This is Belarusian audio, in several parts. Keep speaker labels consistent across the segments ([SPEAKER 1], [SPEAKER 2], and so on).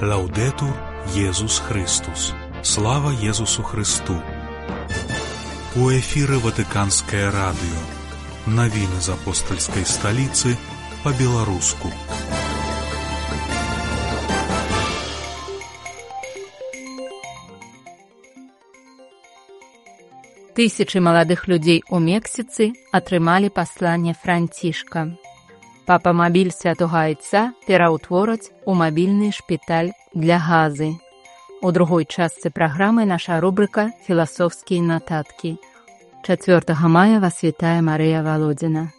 [SPEAKER 1] Лаўдетур Єсус Христос. Слава Єсусу Христу. У эфіры Ватыканскае радыё. Навіны з апостальскай сталіцы па-беларуску.
[SPEAKER 2] Тысячы маладых людзей у Мексіцы атрымалі пасланне Францішка. Папа мабіль святога Айца пераўтвораць у мабільны шпіталь для газы. У другой частцы праграмы наша рубрыка «Філасофскія нататкі». 4 мая вас вітае Марыя Валодзіна.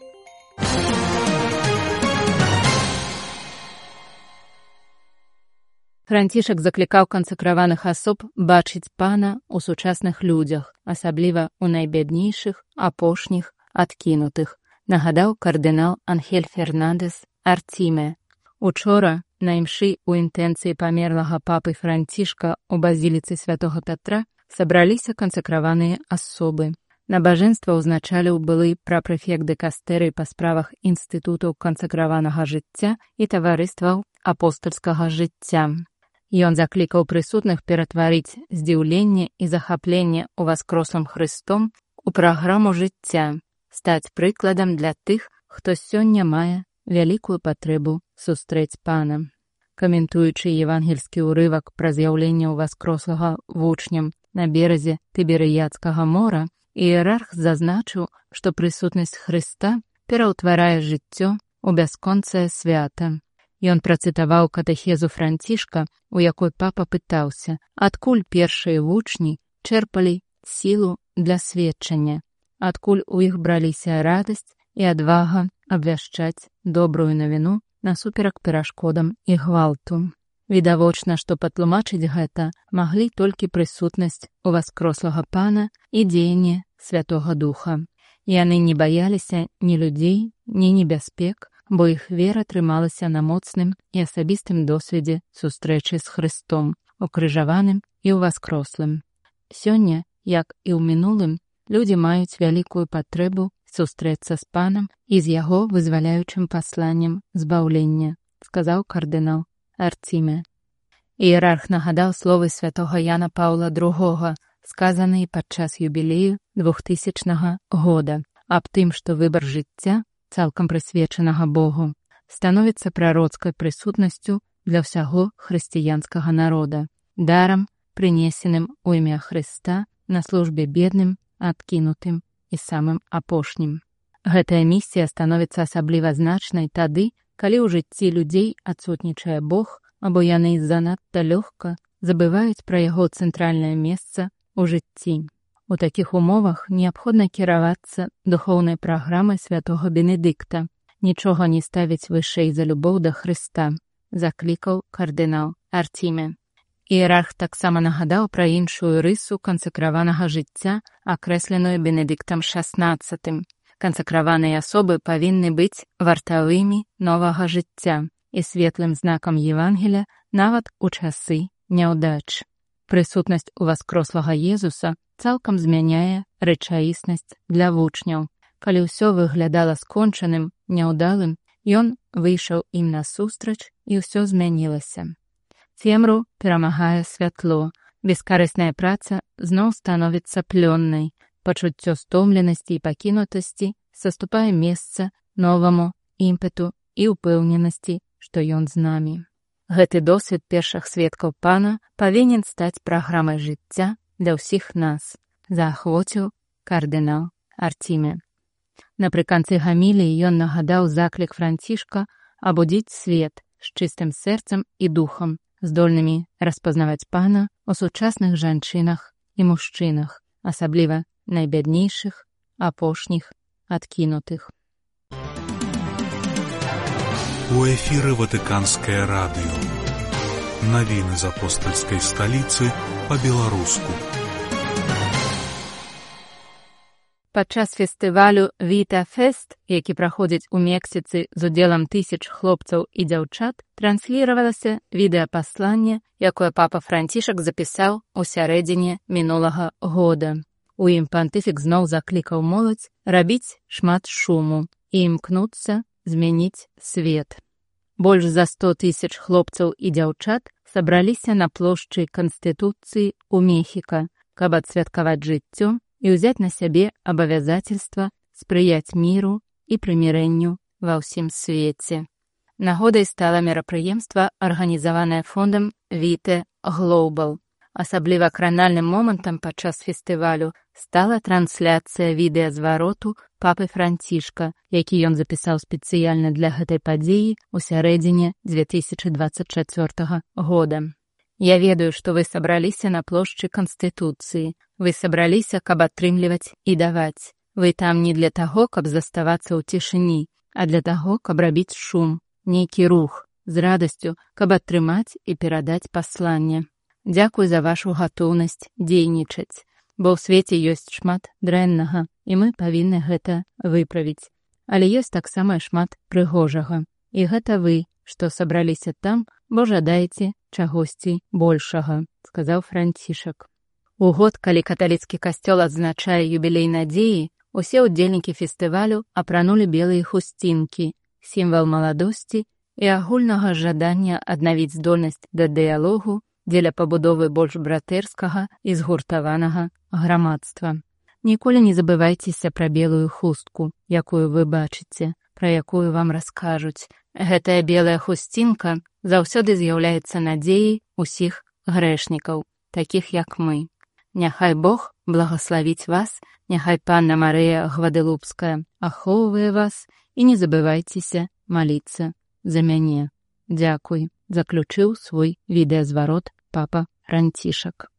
[SPEAKER 2] Францішак заклікаў кансакраваных асоб бачыць Пана ў сучасных людзях, асабліва ў найбяднейшых, апошніх, адкінутых, нагадаў кардынал Анхель Фернандес Артіме. Учора на імшы ў інтэнцыі памерлага папы Францішка ў базіліцы святога Пятра сабраліся кансакраваныя асобы. Набажэнства ўзначаліў былы прапрэфект дыкастэрыі па справах інстытутаў кансакраванага жыцця і таварыстваў апостальскага жыцця. Ён заклікаў прысутных ператварыць здзіўленне і захапленне ўваскрослым Хрыстом у праграму жыцця, стаць прыкладам для тых, хто сёння мае вялікую патрэбу сустрэць Пана. Каментуючы евангельскі ўрывак пра з'яўленне ўваскрослага вучням на беразе Тыберыядскага мора, іерарх зазначыў, што прысутнасць Хрыста пераўтварае жыццё ў бясконцае свята. Ён працытаваў катэхезу Францішка, у якой папа пытаўся, адкуль першыя вучні чэрпалі сілу для сведчання, адкуль у іх браліся радасць і адвага абвяшчаць добрую навіну насуперак перашкодам і гвалту. Відавочна, што патлумачыць гэта маглі толькі прысутнасць уваскрослага Пана і дзеянне Святога Духа. Яны не баяліся ні людзей, ні небяспек, бо іх вера трымалася на моцным і асабістым досведзе сустрэчы з Хрыстом, укрыжаваным і ўваскрослым. Сёння, як і ў мінулым, людзі маюць вялікую патрэбу сустрэцца з Панам і з яго вызваляючым пасланнем збаўлення, сказаў кардынал Артіме. Іерарх нагадаў словы святога Яна Паўла II, сказаныя падчас юбілею 2000 года, аб тым, што выбар жыцця, цалкам прысвечанага Богу, становіцца прароцкай прысутнасцю для ўсяго хрысціянскага народа, дарам, прынесеным у імя Хрыста на службе бедным, адкінутым і самым апошнім. Гэтая місія становіцца асабліва значнай тады, калі ў жыцці людзей адсутнічае Бог, або яны занадта лёгка забываюць пра яго цэнтральнае месца ў жыцці. У такіх умовах неабходна кіравацца духоўнай праграмай святога Бенедыкта, нічога не ставіць вышэй за любоў да Хрыста, заклікаў кардынал Артіме. Іерарх таксама нагадаў пра іншую рысу кансакраванага жыцця, акрэсленую Бенедыктам XVI. Кансакраваныя асобы павінны быць вартавымі новага жыцця і светлым знакам Евангеля нават у часы няўдач. Прысутнасць уваскрослага Езуса цалкам змяняе рэчаіснасць для вучняў. Калі ўсё выглядала скончаным, няўдалым, ён выйшаў ім насустрач і ўсё змянілася. Цемру перамагае святло, бескарысная праца зноў становіцца плённай, пачуццё стомленасці і пакінутасці саступае месца новаму імпэту і ўпэўненасці, што ён з намі. Гэты досвед першых сведкаў Пана павінен стаць праграмай жыцця для ўсіх нас, заахвоціў кардынал Артіме. Напрыканцы гаміліі ён нагадаў заклік Францішка абудзіць свет з чыстым сэрцам і духам, здольнымі распазнаваць Пана ў сучасных жанчынах і мужчынах, асабліва найбяднейшых, апошніх, адкінутых.
[SPEAKER 1] У эфіры Ватыканскае радыё. Навіны з апостальскай сталіцы па-беларуску.
[SPEAKER 2] Падчас фестывалю «Віта Фест», які праходзіць у Мексіцы з удзелам тысяч хлопцаў і дзяўчат, трансліравалася відэапасланне, якое папа Францішак запісаў у сярэдзіне мінулага года. У ім пантыфік зноў заклікаў моладзь рабіць шмат шуму і імкнуцца змяніць свет. Больш за 100 000 хлопцаў і дзяўчат сабраліся на плошчы Канстытуцыі ў Мехіка, каб адсвяткаваць жыццё і ўзяць на сябе абавязацельства спрыяць міру і прымірэнню ва ўсім свеце. Нагодай стала мерапрыемства, арганізаванае фондам Віте Глобал. Асабліва кранальным момантам падчас фестывалю стала трансляцыя відэазвароту папы Францішка, які ён запісаў спецыяльна для гэтай падзеі ў сярэдзіне 2024 года. Я ведаю, што вы сабраліся на плошчы Канстытуцыі. Вы сабраліся, каб атрымліваць і даваць. Вы там не для таго, каб заставацца ў цішыні, а для таго, каб рабіць шум, нейкі рух, з радасцю, каб атрымаць і перадаць пасланне. Дзякуй за вашу гатоўнасць дзейнічаць, бо ў свеце ёсць шмат дрэннага, і мы павінны гэта выправіць. Але ёсць таксама шмат прыгожага. І гэта вы, што сабраліся там, бо жадаеце чагосьці большага, сказаў Францішак. У год, калі каталіцкі касцёл адзначае юбілей надзеі, усе ўдзельнікі фестывалю апранулі белыя хусцінкі, сімвал маладосці і агульнага жадання аднавіць здольнасць да дыялогу дзеля пабудовы больш братэрскага і згуртаванага грамадства. Ніколі не забывайцеся пра белую хустку, якую вы бачыце, пра якую вам раскажуць. Гэтая белая хусцінка заўсёды з'яўляецца надзеяй усіх грэшнікаў, такіх як мы. Няхай Бог благаславіць вас, няхай Панна Марыя Гваделупская ахоўвае вас і не забывайцеся маліцца за мяне. Дзякуй, заключыў свой відэазварот папа Францішак.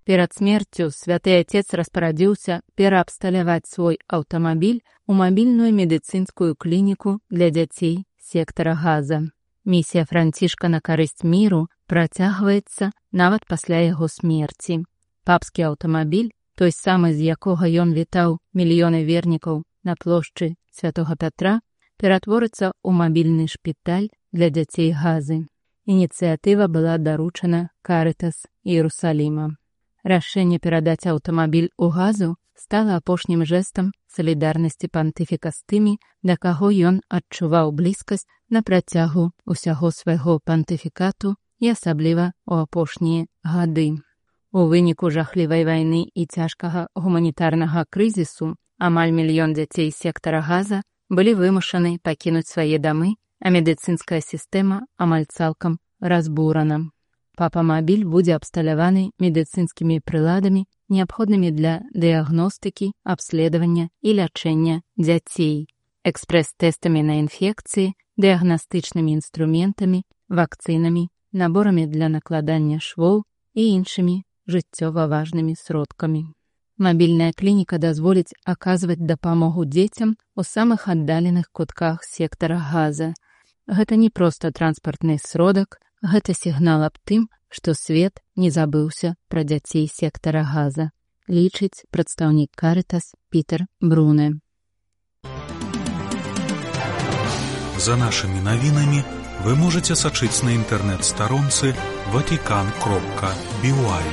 [SPEAKER 2] Перад смерцю святы отец распарадзіўся пераабсталяваць свой аўтамабіль у мабільную медыцынскую клініку для дзяцей сектара Газа. Місія Францішка на карысць міру працягваецца нават пасля яго смерці. Папскі аўтамабіль, той самы, з якога ён вітаў мільёны вернікаў на плошчы Святога Пятра, ператворыцца ў мабільны шпіталь для дзяцей Газы. Ініцыятыва была даручана Карытас Іерусаліма. Рашэнне перадаць аўтамабіль у Газу стала апошнім жэстам салідарнасці пантыфіка з тымі, да каго ён адчуваў блізкасць на працягу ўсяго свайго пантыфікату і асабліва ў апошнія гады. У выніку жахлівай вайны і цяжкага гуманітарнага крызісу амаль 1 мільён дзяцей сектара Газа былі вымушаны пакінуць свае дамы, а медыцынская сістэма амаль цалкам разбурана. Папа-мабіль будзе абсталяваны медыцынскімі прыладамі, неабходнымі для дыягностыкі, абследавання і лячэння дзяцей, экспрэс-тэстамі на інфекцыі, дыягнастычнымі інструментамі, вакцынамі, наборамі для накладання швоў і іншымі жыццёва важнымі сродкамі. Мабільная клініка дазволіць аказваць дапамогу дзецям у самых аддаленых кутках сектара Газа. Гэта не проста транспартны сродак, гэта сігнал аб тым, што свет не забыўся пра дзяцей сектара Газа, лічыць прадстаўнік Карытас Пітер Бруне.
[SPEAKER 1] За нашымі навінамі вы можаце сачыць на інтэрнэт-старонцы vatican.by.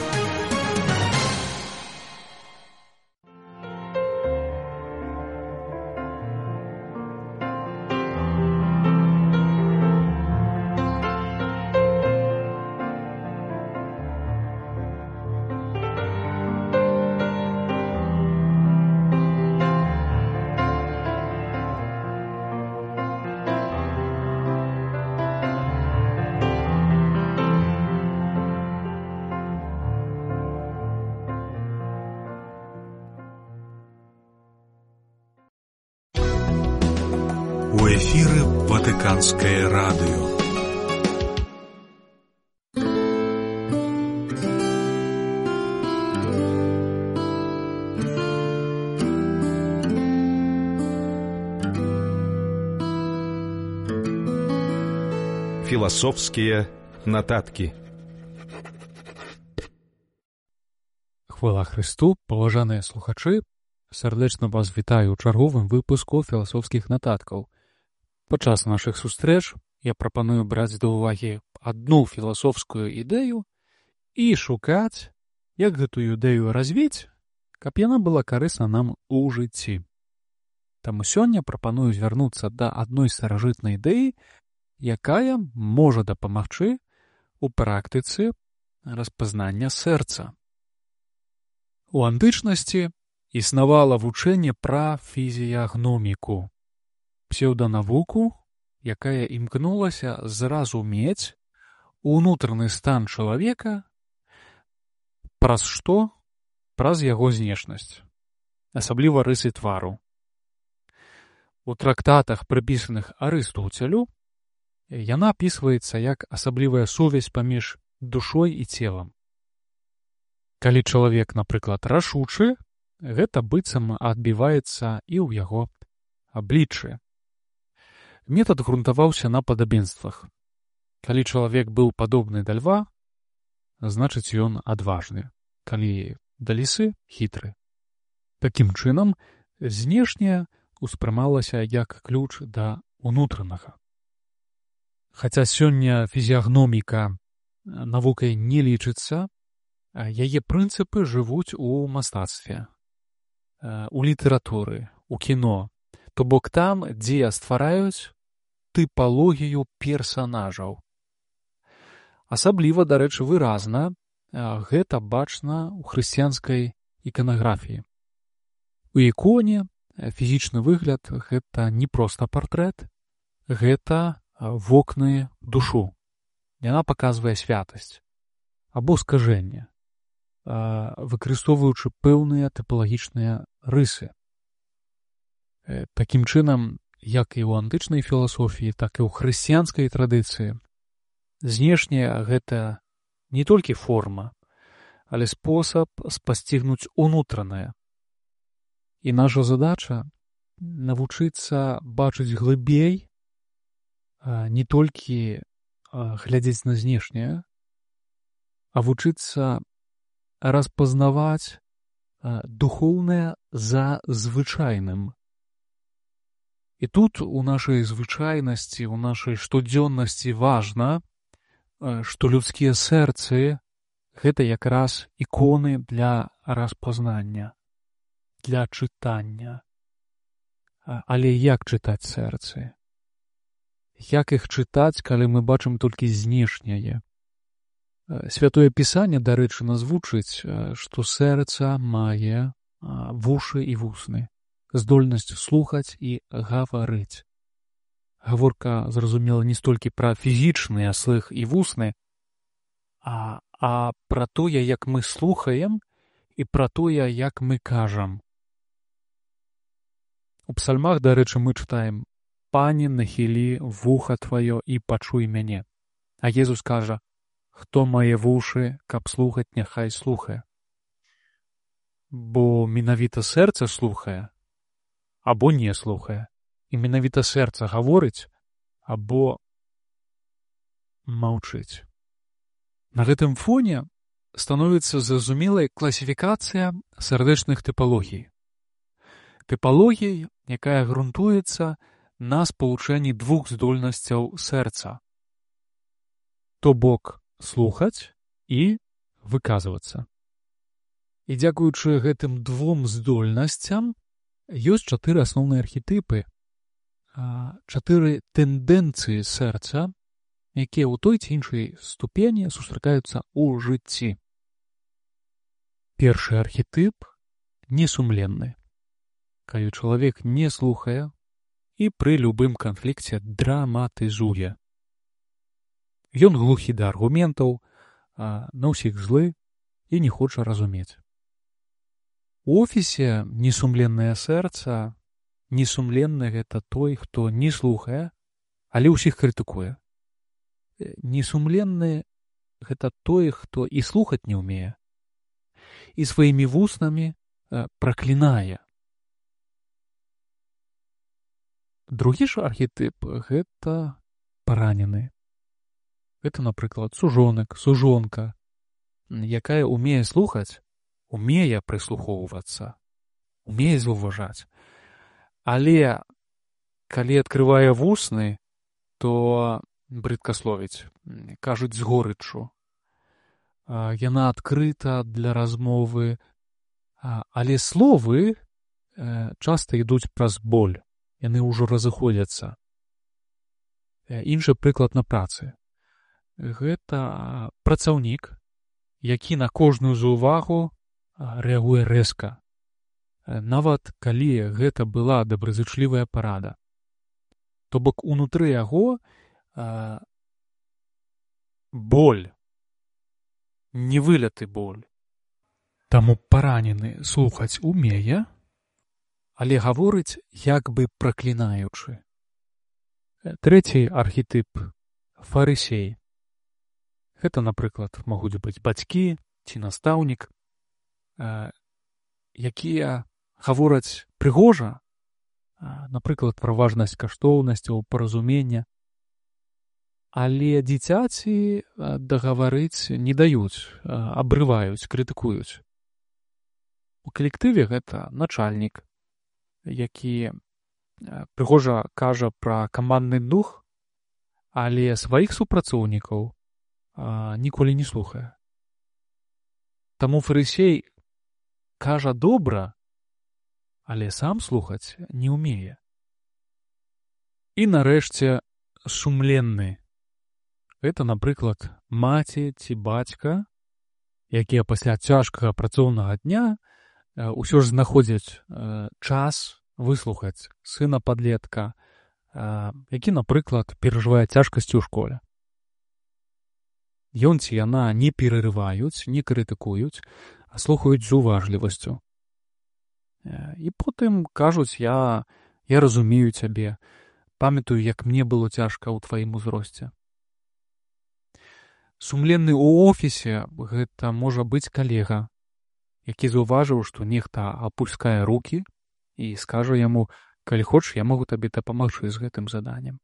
[SPEAKER 1] У эфіры Ватыканскае радыё.
[SPEAKER 3] Філасофскія нататкі.
[SPEAKER 4] Хвала Христу, паважаныя слухачы, сардэчна вас вітаю ў чарговым выпуску філасофскіх нататкаў. Падчас нашых сустрэч я прапаную браць да ўвагі адну філасофскую ідэю і шукаць, як гэтую ідэю развіць, каб яна была карысна нам у жыцці. Таму сёння прапаную звярнуцца да адной старажытнай ідэі, якая можа дапамагчы у практыцы распазнання сэрца. У антычнасці існавала вучэнне пра фізіягноміку, псеўданавуку, якая імкнулася зразумець унутраны стан чалавека праз што? Праз яго знешнасць, асабліва рысы твару. У трактатах, прыпісаных Арыстоцелю, яна апісваецца як асаблівая сувязь паміж душой і целам. Калі чалавек, напрыклад, рашучы, гэта быццам адбіваецца і ў яго абліччы. Метад грунтаваўся на падабенствах. Калі чалавек быў падобны да льва, значыць ён адважны. Калі да лісы — хітры. Такім чынам, знешняе ўспрымалася як ключ да унутранага. Хаця сёння фізіягноміка навукай не лічыцца, яе прынцыпы жывуць у мастацтве, у літаратуры, у кіно, то бок там, дзе ствараюць тыпалогію персанажаў. Асабліва, дарэчы, выразна гэта бачна ў хрысціянскай іканаграфіі. У іконе фізічны выгляд — гэта не проста партрэт, гэта вокны душу. Яна паказвае святасць або скажэнне, выкарыстоўваючы пэўныя тыпалагічныя рысы. Такім чынам, як і ў антычнай філасофіі, так і ў хрысціянскай традыцыі, знешняе — гэта не толькі форма, але спосаб спасцігнуць унутранае. І наша задача — навучыцца бачыць глыбей, не толькі глядзець на знешняе, а вучыцца распазнаваць духоўнае за звычайным. І тут у нашай звычайнасці, у нашай штодзённасці важна, што людскія сэрцы — гэта якраз іконы для распазнання, для чытання. Але як чытаць сэрцы? Як іх чытаць, калі мы бачым толькі знешняе? Святое Пісанне, дарэчы, нас вучыць, што сэрца мае вушы і вусны, здольнасць слухаць і гаварыць. Гаворка, зразумела, не столькі пра фізічны слых і вусны, а пра тое, як мы слухаем, і пра тое, як мы кажам. У псальмах, дарэчы, мы чытаем: «Пане, нахілі вуха тваё і пачуй мяне». А Езус кажа: «Хто мае вушы, каб слухаць, няхай слухае». Бо менавіта сэрца слухае або не слухае. І менавіта сэрца гаворыць або маўчыць. На гэтым фоне становіцца зразумелай класіфікацыя сардэчных тыпалогій. Тыпалогій, якая грунтуецца на спалучэнні двух здольнасцяў сэрца. То бок слухаць і выказвацца. І дзякуючы гэтым двум здольнасцям ёсць 4 асноўныя архетыпы, 4 тэндэнцыі сэрца, якія ў той ці іншай ступені сустракаюцца ў жыцці. Першы архетып — несумленны. Калі чалавек не слухае і пры любым канфлікце драматызуе. Ён глухі да аргументаў, на ўсіх злы і не хоча разумець. У офісе несумленнае сэрца. Несумленны — гэта той, хто не слухае, але ўсіх крытыкуе. Несумленны — гэта той, хто і слухаць не ўмее, і сваімі вуснамі праклінае. Другі ж архетып — гэта паранены. Гэта, напрыклад, сужонак, сужонка, якая ўмее слухаць, умее прыслухоўвацца, умее заўважаць. Але калі адкрывае вусны, то брыдкасловіць, кажуць з горыччу. Яна адкрыта для размовы, але словы часта ідуць праз боль, яны ўжо разыходзяцца. Іншы прыклад на працы. Гэта працаўнік, які на кожную заўвагу рэагуе рэзка, нават калі гэта была добразычлівая парада. То бок унутры яго боль, невыляты боль. Таму паранены слухаць умее, але гаворыць як бы праклінаючы. Трэці архетып – фарысей. Гэта, напрыклад, могуць быць бацькі ці настаўнік, якія гавораць прыгожа, напрыклад, пра важнасць каштоўнасцяў, паразумення, але дзіцяці дагаварыць не даюць, абрываюць, крытыкуюць. У калектыве гэта начальнік, які прыгожа кажа пра камандны дух, але сваіх супрацоўнікаў ніколі не слухае. Таму фарысей кажа добра, але сам слухаць не ўмее. І нарэшце сумленны. Гэта, напрыклад, маці ці бацька, якія пасля цяжкага працоўнага дня ўсё ж знаходзяць час выслухаць сына падлетка, які, напрыклад, перажывае цяжкасці ў школе. Ён ці яна не перарываюць, не крытыкуюць, а слухаюць з уважлівасцю. І потым кажуць, я разумею цябе, памятаю, як мне было цяжка ў тваім узросце. Сумленны ў офісе – гэта можа быць калега, які заўважыў, што нехта апускае рукі і скажа яму, калі хочаш, я магу табе дапамагчы з гэтым заданнем.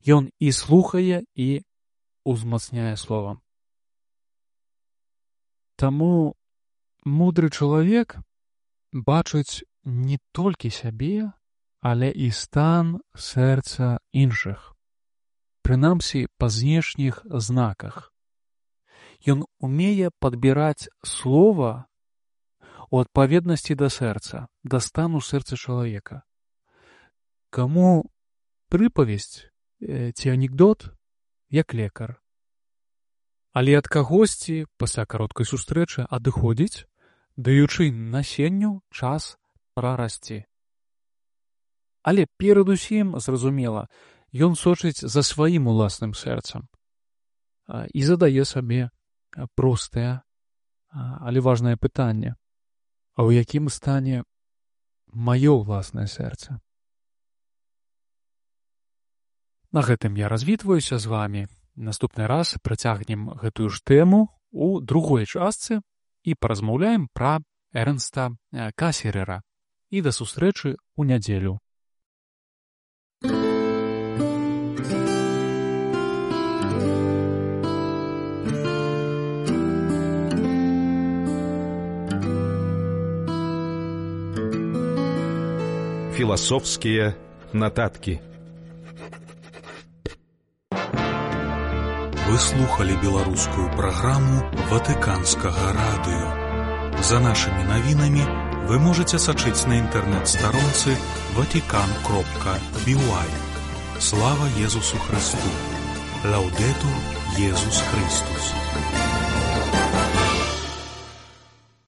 [SPEAKER 4] Ён і слухае, і узмацняе словам. Таму мудры чалавек бачыць не толькі сябе, але і стан сэрца іншых, прынамсі па знешніх знаках. Ён умее падбіраць слова у адпаведнасці да сэрца, да стану сэрца чалавека. Каму прыпавесць ці анекдот, як лекар. Але ад кагосьці пасля кароткай сустрэчы адыходзіць, даючы насенню час прарасці. Але перадусім, зразумела, ён сочыць за сваім уласным сэрцам і задае сабе простае, але важнае пытанне. А ў якім стане маё ўласнае сэрца? На гэтым я развітваюся з вамі. Наступны раз працягнем гэтую ж тэму у другой частцы і паразмаўляем пра Эрнста Касерера. І да сустрэчы ў нядзелю.
[SPEAKER 3] Философские нотатки.
[SPEAKER 1] Вы слухали беларускую праграму Ватыканскага радыё. За нашымі навінамі вы можаце сачыць на інтэрнэт-старонцы vatican.by. Слава Езусу Христу! Лаўдетур Езус Христус!